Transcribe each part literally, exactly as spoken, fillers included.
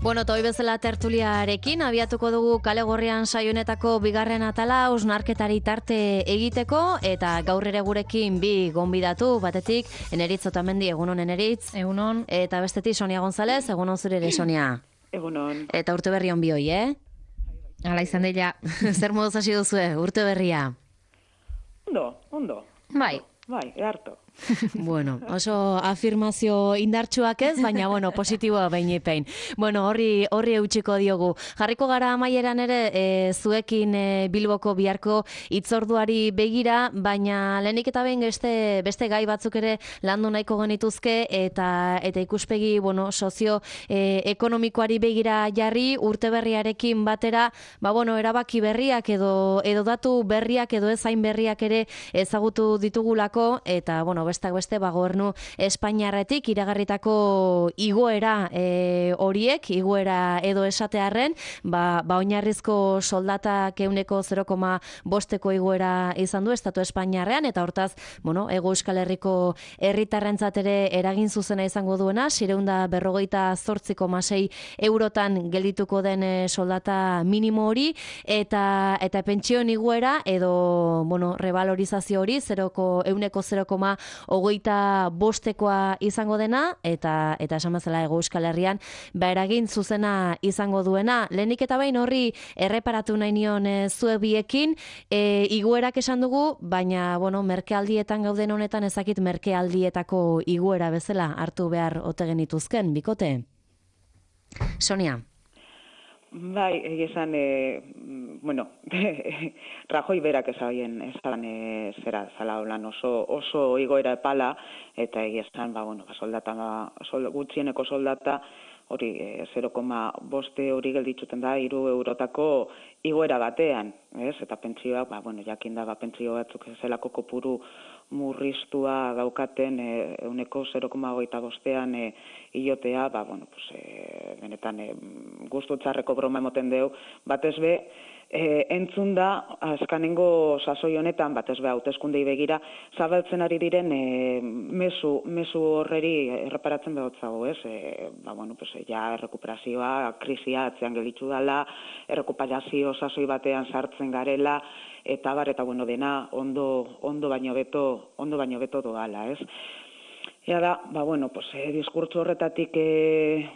Bueno, toi bezala tertuliarekin abiatuko dugu Kale Gorrian saionetako bigarren atala hausnarketari tarte egiteko eta gaur ere gurekin bi gonbidatu, batetik Eneritz Otamendi, egunon Eneritz. Egunon. Eta bestetik Sonia González, egunon zure ere Sonia. Egunon. Eta urte berri on bioi, eh? Hala izan dela. Zer moduz hasi duzue, urte berria? Ondo, ondo. Bai. Bai, eharto. Bueno, oso afirmazio indartsuak ez, baina bueno, positiboa behinepein. Bueno, horri horri eutxiko diogu. Jarriko gara amaieran ere e, zuekin e, Bilboko biharko hitzorduari begira, baina lehenik eta behin beste, beste gai batzuk ere landu nahiko genituzke eta eta ikuspegi, bueno, sozio e, ekonomikoari begira jarri urte berriarekin batera, ba bueno, erabaki berriak edo edo datu berriak edo ezain berriak ere ezagutu ditugulako eta bueno, bestak beste ba gobernu Espainiarretik iragarritako igoera e, horiek, igoera edo esatearren, ba, ba oinarrizko soldatak ehuneko zero koma bosteko igoera izan du Estatu Espainiarrean eta hortaz, bueno, Hego Euskal Herriko herritarrentzat ere eragin zuzena izango duena, seiehun eta berrogeita zortzi koma sei eurotan geldituko den soldata minimo hori eta eta pentsioen igoera edo bueno, revalorizazio hori ehuneko zero koma hogeita bostekoa izango dena, eta eta esan bezala Hego Euskal Herrian, ba eragin zuzena izango duena. Lehenik eta behin horri erreparatu nahi nion e, zue biekin, e, igoerak esan dugu, baina, bueno, merkealdietan gauden honetan ezakit merkealdietako igoera bezala hartu behar ote genituzken, bikote? Sonia. Bai, egizan, e, bueno, Rajoy berak ezaien, esan e, zera, zala holan oso, oso igoera epala, eta egizan, ba, bueno, ba, soldata, ba, sol, gutxieneko soldata, hori, e, zero koma boste hori gelditzuten da, hiru eurotako igoera batean, ez? Eta pentsioak, ba, bueno, jakin da, ba, pentsio batzuk zelako kopuru murriztua daukaten ehuneko zero koma hogeita bostean e, iotea, ba, bueno, pues, e, benetan e, gustu txarreko broma emoten deu, batez be, e, entzun da, azkanengo sasoi honetan, batez be, hauteskundei begira, zabaltzen ari diren e, mezu, mezu horreri erreparatzen behotzago, ez? E, ba, bueno, pues, ja, errekuperazioa, krisia atzean gelitzu dela, errekuperazio sasoi batean sartzen garela, eta bar, eta bueno, dena ondo, ondo baino beto, ondo baino beto doala, ez? Ea da, ba, bueno, pues, eh, diskurtso horretatik eh,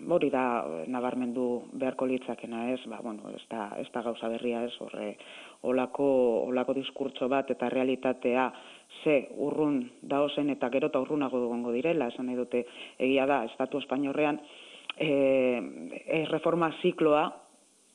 hori da nabarmendu beharko litzakena, ez? Ba, bueno, ez da, ez da gauza berria, ez? Horre, olako, olako diskurtso bat eta realitatea ze urrun daozen eta gero eta urrunago dugongo direla, esan nahi dute egia da, Estatu Espainiorrean eh, reforma zikloa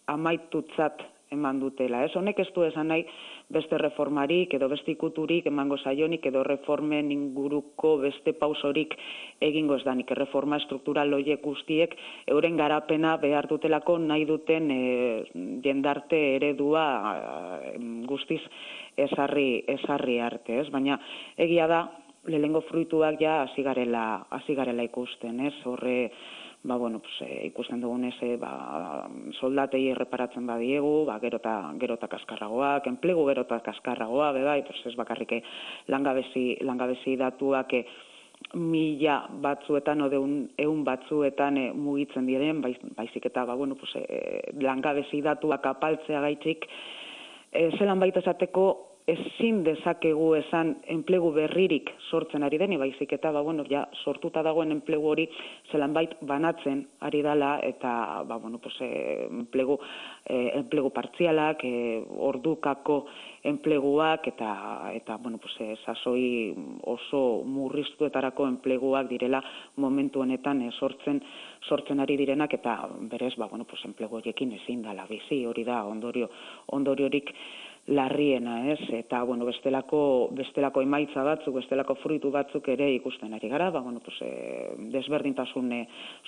amaitutzat eman dutela. Ez honek ez du esan nahi beste reformarik edo beste ikuturik emango zaionik edo reformen inguruko beste pausorik egingo ez danik. Reforma struktural horiek guztiek euren garapena behar dutelako nahi duten e, jendarte eredua e, guztiz ezarri, ezarri arte. Ez? Baina egia da, lehengo fruituak ja hasi garela, hasi garela ikusten. Ez? Horre, ba, bueno, pues, e, ikusten dugunez, e, ba, soldatei erreparatzen badiegu, ba, gerota, gerota kaskarragoak, enplegu gerota kaskarragoa, bebai, pues, ez bakarrike langabezi, langabezi datuak e, mila batzuetan, ode eun batzuetan e, mugitzen diren, baiz, baizik eta, ba, bueno, pues, e, langabezi datuak apaltzea gaitzik, e, zelan baita esateko, ezin dezakegu esan enplegu berririk sortzen ari deni, baizik eta ba, bueno, ja, sortuta dagoen enplegu hori zelanbait banatzen ari dala eta ba, bueno, pues, eh, enplegu, eh, enplegu partzialak, eh, ordukako enpleguak eta, eta bueno, pues, eh, sasoi oso murriztuetarako enpleguak direla momentu honetan eh, sortzen sortzen ari direnak eta berez ba, bueno, pues, enplegu horiekin ezin dala bizi, hori da ondorio ondoriorik larriena, ez? Eta, bueno, bestelako, bestelako emaitza batzuk, bestelako fruitu batzuk ere ikusten ari gara, ba, bueno, pues, e, desberdintasun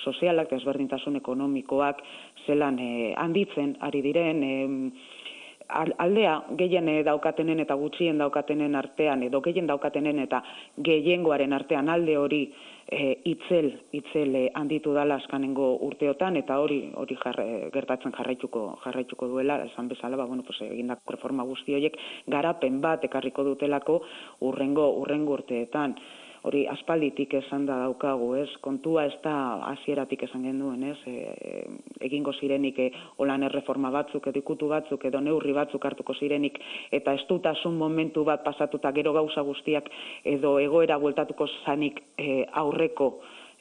sozialak, desberdintasun ekonomikoak zelan e, handitzen ari diren, e, aldea gehien daukatenen eta gutxien daukatenen artean, edo gehien daukatenen eta gehiengoaren artean alde hori e, itzel, itzel e, handitu dala azkanengo urteotan, eta hori hori jarre, gertatzen jarraituko, jarraituko duela, esan bezala, ba, bueno, pues, egindako reforma guzti horiek garapen bat ekarriko dutelako urrengo, urrengo urteetan. hori aspalditik esan da daukagu, ez? Kontua ez da hasieratik esan genuen, ez? E, egingo zirenik e, holan erreforma batzuk, edo ikutu batzuk, edo neurri batzuk hartuko zirenik, eta estutasun momentu bat pasatuta gero gauza guztiak, edo egoera bueltatuko zanik e, aurreko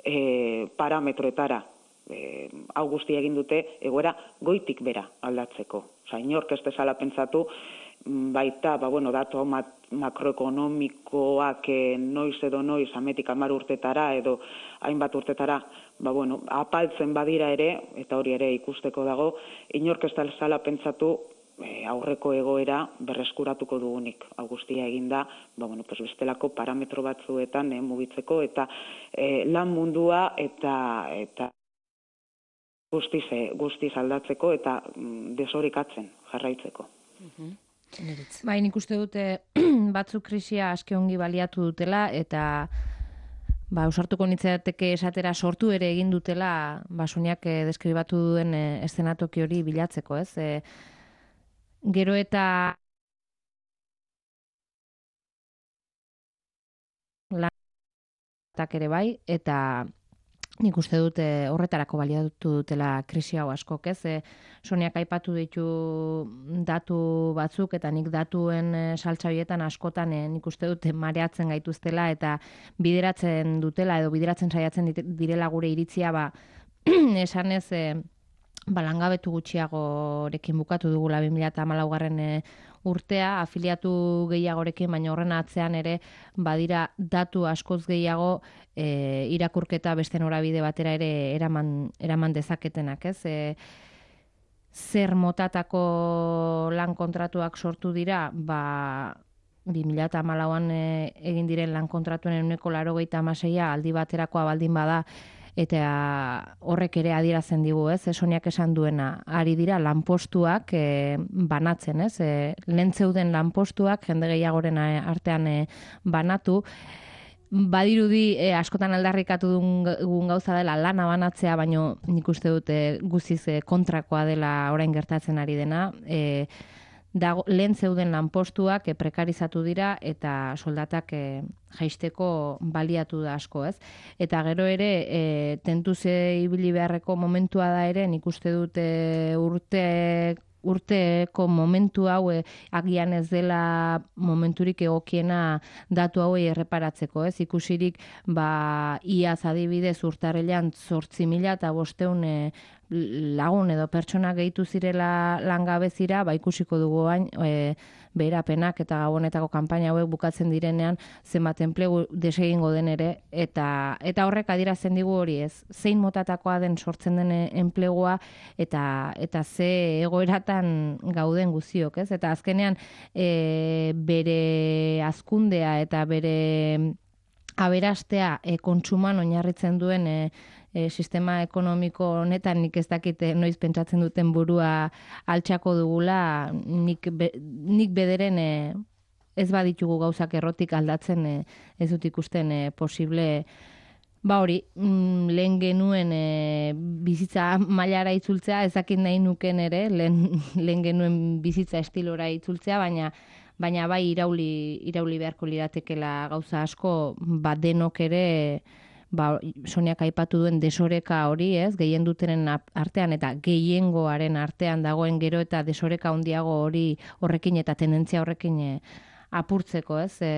e, parametroetara. E, hau guztia egin dute egoera goitik bera aldatzeko. Osa, inork ez dezala pentsatu, baita, ba, bueno, datu makroekonomikoak e, noiz edo noiz, ametik hamar urtetara edo hainbat urtetara, ba, bueno, apaltzen badira ere, eta hori ere ikusteko dago, inork ez dezala pentsatu e, aurreko egoera berreskuratuko dugunik. Hau guztia eginda, ba, bueno, pues bestelako parametro batzuetan e, mugitzeko, eta e, lan mundua eta eta guztiz, guztiz aldatzeko eta desorekatzen jarraitzeko. Bai, nik uste dute batzuk krisia aske ongi baliatu dutela eta ba, ausartuko nintzateke esatera sortu ere egin dutela ba, Soniak eh, deskribatu duen eh, eszenatoki hori bilatzeko, ez? Eh, gero eta lanak ere bai, eta nik uste dute horretarako baliatu dutela krisi hau askok, ez? E, Soniak aipatu ditu datu batzuk eta nik datuen e, saltza horietan askotan e, nik uste dute mareatzen gaituztela eta bideratzen dutela edo bideratzen saiatzen direla gure iritzia, ba, esanez e, ba, langabetu gutxiagorekin bukatu dugula bi mila hamalaugarren e, urtea, afiliatu gehiagorekin, baina horren atzean ere badira datu askoz gehiago e, irakurketa beste norabide batera ere eraman, eraman dezaketenak, ez? E, zer motatako lan kontratuak sortu dira, ba, bi mila hamalauan e, egin diren lan kontratuen ehuneko laurogeita hamaseia aldi baterakoa baldin bada, eta horrek ere adierazen digu, ez? Soniak esan duena, ari dira lanpostuak e, banatzen, ez? E, lehen zeuden lanpostuak jende gehiagoren artean e, banatu, badirudi e, askotan aldarrikatu dugun gauza dela lana banatzea, baino nik uste dute guziz e, kontrakoa dela orain gertatzen ari dena, e, dago, lehen zeuden lanpostuak e, prekarizatu dira eta soldatak e, jaisteko baliatu da asko, ez? Eta gero ere, e, tentuze ibili beharreko momentua da ere, nik uste dute urte urteko momentu hau e, agian ez dela momenturik egokiena datu hauei erreparatzeko, ez? Ikusirik, ba, iaz adibidez urtarrilean zortzi mila eta bosteun e, lagun edo pertsona gehitu zirela langabezira, ba ikusiko dugu bain, e, beherapenak eta gabonetako kanpaina hauek bukatzen direnean zenbat enplegu desegingo den ere, eta eta horrek adierazten digu hori, ez? Zein motatakoa den sortzen den enplegua eta eta ze egoeratan gauden guztiok, ez? Eta azkenean e, bere hazkundea eta bere aberastea e, kontsuman oinarritzen duen e, E, sistema ekonomiko honetan nik ez dakite noiz pentsatzen duten burua altxako dugula, nik, be, nik bederen e, ez baditugu gauzak errotik aldatzen e, ez dut ikusten e, posible, ba hori, mm, lehen genuen e, bizitza mailara itzultzea, ez dakit nahi nuken ere, lehen, lehen genuen bizitza estilora itzultzea, baina baina bai irauli, irauli beharko liratekela gauza asko, ba denok ere, ba, Soniak aipatu duen desoreka hori, ez, gehien dutenen artean eta gehiengoaren artean dagoen gero eta desoreka handiago hori horrekin eta tendentzia horrekin e, apurtzeko, ez, e,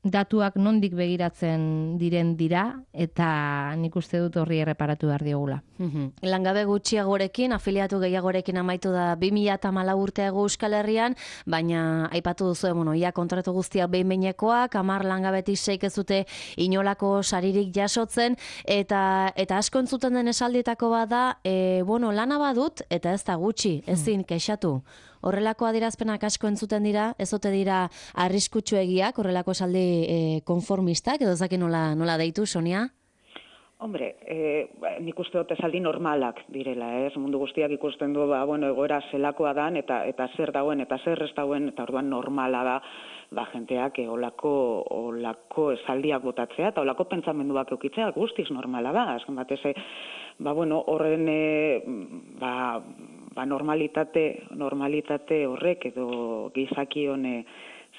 datuak nondik begiratzen diren dira eta nik uste dut horri erreparatu behar diogula. Mm-hmm. Langabe gutxiagorekin, afiliatu gehiagorekin amaitu da bi mila hamalau urteago Euskal Herrian, baina aipatu duzu, bueno, ia kontratu guztiak behin-behinekoak, hamar langabetik seik ez dute inolako saririk jasotzen, eta eta asko entzuten den esaldietako bada, e, bueno, lana badut, eta ez da gutxi, ezin kexatu. Horrelako adierazpenak asko entzuten dira, ez ote dira arriskutsuegiak, horrelako esaldi e, konformistak, edo zaki nola, nola deitu, Sonia? Hombre, eh, nik uste dut esaldi normalak direla, ez? Mundu guztiak ikusten du, ba, bueno, egoera zelakoa dan, eta eta zer dauen, eta zer ez dauen, eta orduan normala da, ba, jenteak e, olako, olako esaldiak botatzea, eta olako pentsamenduak eukitzea guztiz normala da, azken batez, ba, bueno, horren, e, ba, ba, normalitate, normalitate horrek, edo gizakion, e,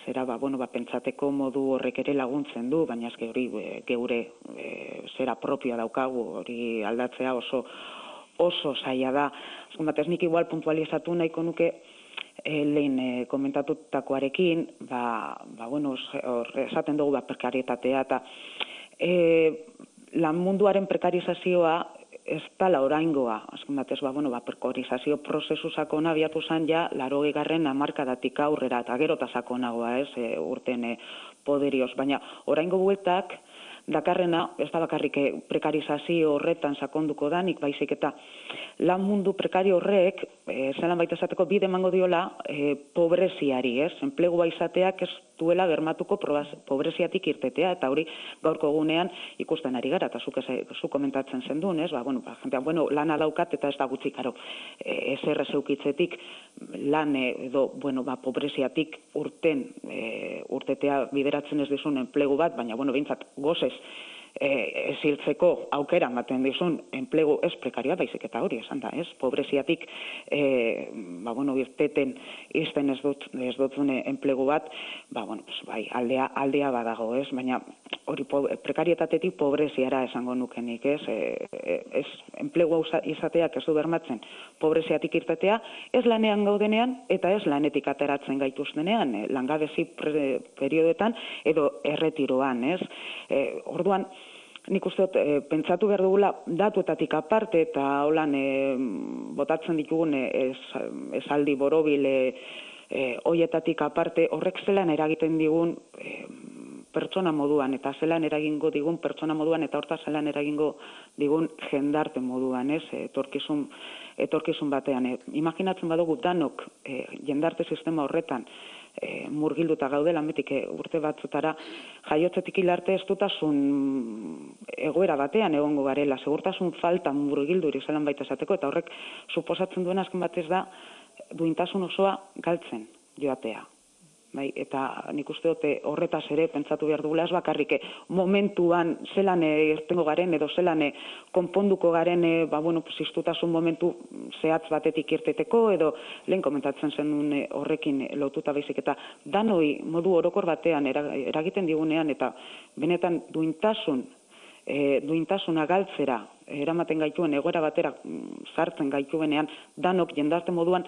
zera, ba, bueno, ba, pentsateko modu horrek ere laguntzen du, baina eske hori e, geure e, zera propioa daukagu, hori aldatzea oso oso zaila da. Azken batez nik igual puntualizatu nahiko nuke e, lehen e, komentatutakoarekin, ba, ba, bueno, hor esaten dugu ba, prekarietatea, eta e, lan munduaren prekarizazioa ez dala oraingoa, azken batez, ba, bueno, ba, prekarizazio prozesu sakona abiatu zen ja, larogei garren hamarkadatik aurrera, eta gero eta sakonagoa, ez, e, urten e, poderioz, baina oraingo bueltak, dakarrena, ez da bakarrik prekarizazio horretan sakonduko danik, baizik eta lan mundu prekario horrek, e, zelan baita esateko bide emango diola e, pobreziari, ez? Enplegua izateak ez duela bermatuko pobreziatik irtetea, eta hori gaurko egunean ikusten ari gara, eta zuk, zuk komentatzen zendun, ez? Ba, bueno, ba, jentean, bueno, lana daukat eta ez da gutxi, karo, e, ezer zeukitzetik lan edo, bueno, ba, pobreziatik urten, e, urtetea bideratzen ez dizun enplegu bat, baina, bueno, behintzat, gozez, ez hiltzeko aukera ematen dizun enplegu ez prekarioa, baizik eta hori esan da, ez? Pobreziatik, e, ba, bueno, irteten izten ez dut, ez dutzune enplegu bat, ba, bueno, pues, bai, aldea, aldea badago, ez? Baina hori po, prekarietatetik pobreziara esango nukenik, ez? E, ez enplegu izateak ez du bermatzen pobreziatik irtetea, ez lanean gaudenean eta ez lanetik ateratzen gaituztenean, e, langabezi periodetan edo erretiroan, ez? E, orduan, nik uste dut, e, pentsatu behar dugula datuetatik aparte eta holan e, botatzen ditugun e, ez, esaldi borobil e, e, hoietatik aparte horrek zelan eragiten digun e, pertsona moduan eta zelan eragingo digun pertsona moduan eta horta zelan eragingo digun jendarte moduan, ez, etorkizun, etorkizun batean. E, imaginatzen badugu danok e, jendarte sistema horretan E, murgilduta gaudela, metik e, urte batzutara jaiotzetik hilarte ez dutasun egoera batean egongo garela, segurtasun falta murgilduri zelan baita esateko, eta horrek suposatzen duen azken batez da duintasun osoa galtzen joatea. Bai, eta nik uste dute horretaz ere pentsatu behar dugula ez bakarrik momentuan zelan irtengo garen edo zelan konponduko garen ba, bueno, pues, iztutasun momentu zehatz batetik irteteko edo lehen komentatzen zenun horrekin lotuta baizik eta danoi modu orokor batean eragiten digunean eta benetan duintasun e, duintasuna galtzera eramaten gaituen egoera batera sartzen gaituenean danok jendarte moduan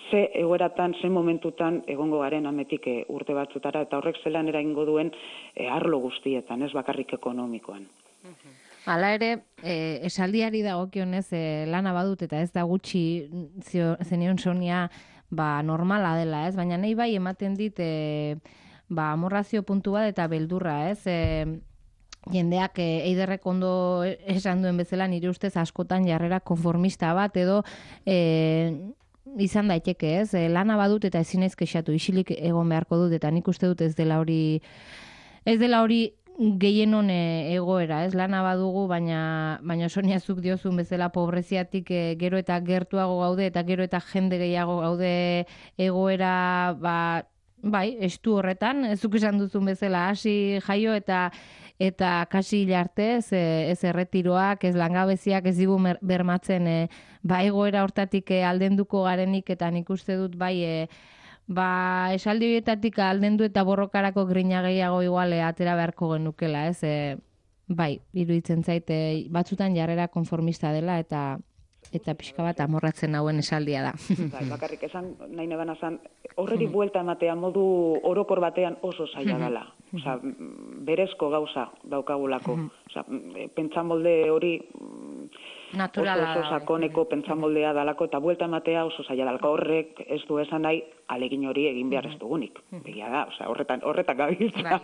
ze egoeratan, ze momentutan egongo garen ametik e, urte batzutara, eta horrek zelan eragingo duen e, arlo guztietan, ez bakarrik ekonomikoan. Hala ere, e, esaldiari dagokionez e, lana badut eta ez da gutxi zenion Sonia ba, normala dela, ez? Baina nahi bai ematen dit e, ba, amorrazio puntu bat eta beldurra, ez? E, jendeak e, eiderrek ondo esan duen bezala nire ustez askotan jarrera konformista bat edo e, izan daiteke, ez? E, lana badut eta ezin naiz kexatu, isilik egon beharko dut eta nik uste dut ez dela hori ez dela hori gehienon egoera, ez? Lana badugu, baina baina Sonia zuk diozun bezala pobreziatik e, gero eta gertuago gaude eta gero eta jende gehiago gaude egoera ba bai, estu horretan, zuk esan duzun bezala hasi jaio eta eta kasi hilarte, ez, ez erretiroak, ez langabeziak ez digu bermatzen e, ba egoera hortatik e, aldenduko garenik eta nik uste dut bai e, ba esaldi horietatik aldendu eta borrokarako grina gehiago igual e, atera beharko genukela, ez, e, bai, iruditzen zaite batzutan jarrera konformista dela eta eta pixka bat amorratzen hauen esaldia da. Bai, bakarrik esan nahi nebana zan, horreri buelta ematea modu orokor batean oso zaila dela. Osa, berezko gauza daukagulako. Osa, pentsamolde hori naturala oso, oso sakoneko pentsamoldea dalako eta buelta ematea oso zaila dalako. Horrek ez du esan nahi alegin hori egin behar ez dugunik. Begia da, osa, horretan, horretan gabiltza.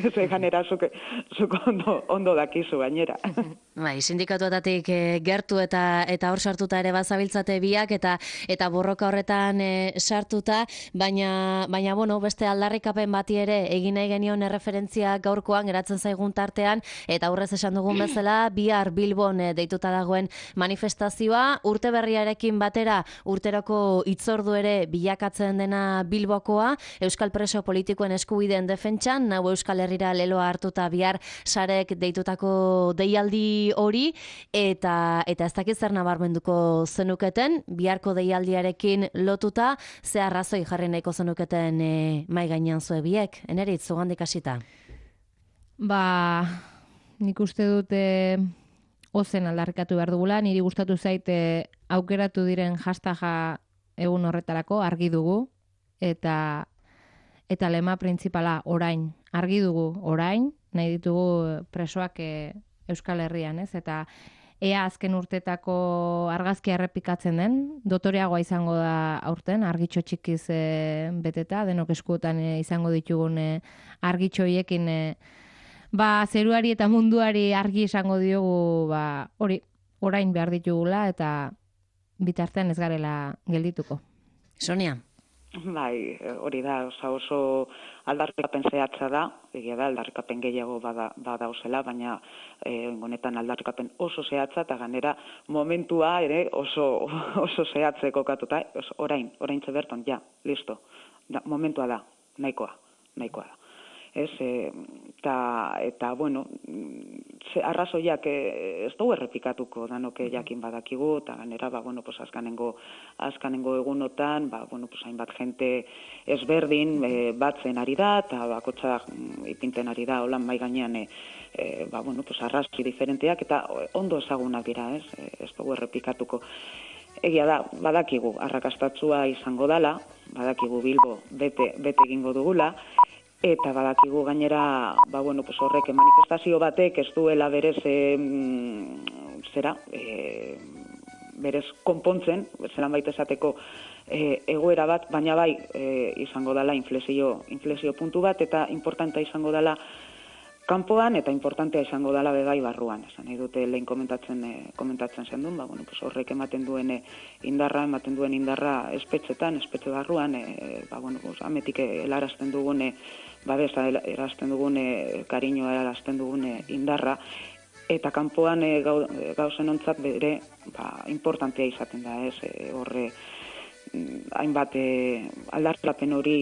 Ez egan erazuk ondo, ondo dakizu gainera. Bai, sindikatuetatik e, gertu eta eta hor sartuta ere bazabiltzate biak eta eta borroka horretan e, sartuta, baina baina bueno, beste aldarrikapen bati ere egin nahi genion erreferentzia gaurkoan geratzen zaigun tartean eta aurrez esan dugun bezala bihar Bilbon Bilbon e, deituta dagoen manifestazioa, urte berriarekin batera urteroko hitzordu ere bilakatzen dena Bilbokoa, Euskal preso politikoen eskubideen defentsan, nau Euskal Herrira leloa hartuta bihar sarek deitutako deialdi hori, eta eta ez dakit zer nabarmenduko zenuketen, biharko deialdiarekin lotuta, ze arrazoi jarri nahiko zenuketen e, mai gainean zue biek, enerit, zugandik hasita. Ba, nik uste dute ozen aldarrikatu behar dugula, niri gustatu zaite aukeratu diren hashtaga egun horretarako argi dugu, eta eta lema printzipala orain, argi dugu orain, nahi ditugu presoak e, Euskal Herrian, ez? Eta ea azken urtetako argazkia errepikatzen den, dotoreagoa izango da aurten, argitxo txikiz e, beteta, denok eskuotan e, izango ditugun e, argitxo hiekin e, ba, zeruari eta munduari argi izango diogu, ba, hori, orain behar ditugula, eta bitartean ez garela geldituko. Sonia? Bai, hori da, oso, oso aldarrikapen zehatza da, egia da, aldarrikapen gehiago bada, badauzela, baina eh, honetan aldarrikapen oso zehatza, eta ganera momentua ere oso, oso zehatze kokatuta, oso, orain, orain berton, ja, listo, da, momentua da, nahikoa, nahikoa da. Ez, eta, eta, bueno, ze arrazoiak ez dugu errepikatuko danoke jakin badakigu, eta ganera, ba, bueno, pues azkanengo, azkanengo egunotan, ba, bueno, pues hainbat jente ezberdin e, batzen ari da, eta bakotxa ipinten ari da, holan mai gainean, e, e, ba, bueno, pues arrazki diferenteak, eta ondo ezagunak dira, ez, ez dugu errepikatuko. Egia da, badakigu, arrakastatzua izango dala, badakigu Bilbo bete, bete egingo dugula, eta badakigu gainera, ba, bueno, pues horrek manifestazio batek ez duela berez, e, zera, e, berez konpontzen, zelan baita esateko e, egoera bat, baina bai e, izango dela inflexio, inflexio puntu bat, eta importantea izango dela kanpoan, eta importantea izango dela bebai barruan. Esan nahi dute lehen komentatzen, e, komentatzen zen duen, ba, bueno, pues horrek ematen duen e, indarra, ematen duen indarra espetxetan, espetxe barruan, e, ba, bueno, pues, ametik helarazten dugune, babesa erazten dugune, kariñoa erazten dugune indarra, eta kanpoan e, gau, gauzen ontzat bere ba, importantea izaten da, ez, e, horre hainbat e, aldartelapen hori,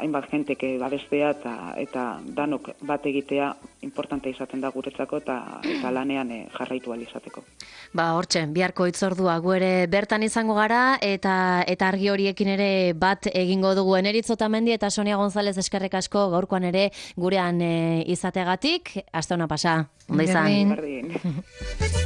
hainbat jenteke babestea eta, eta danok bat egitea importantea izaten da guretzako eta, eta lanean e, jarraitu ahal izateko. Ba, hortxe, biharko hitzordua gu ere bertan izango gara, eta eta argi horiekin ere bat egingo dugu. Eneritz Otamendi eta Sonia González eskerrik asko gaurkoan ere gurean e, izategatik. Aste ona pasa. Ondo izan. Berdin.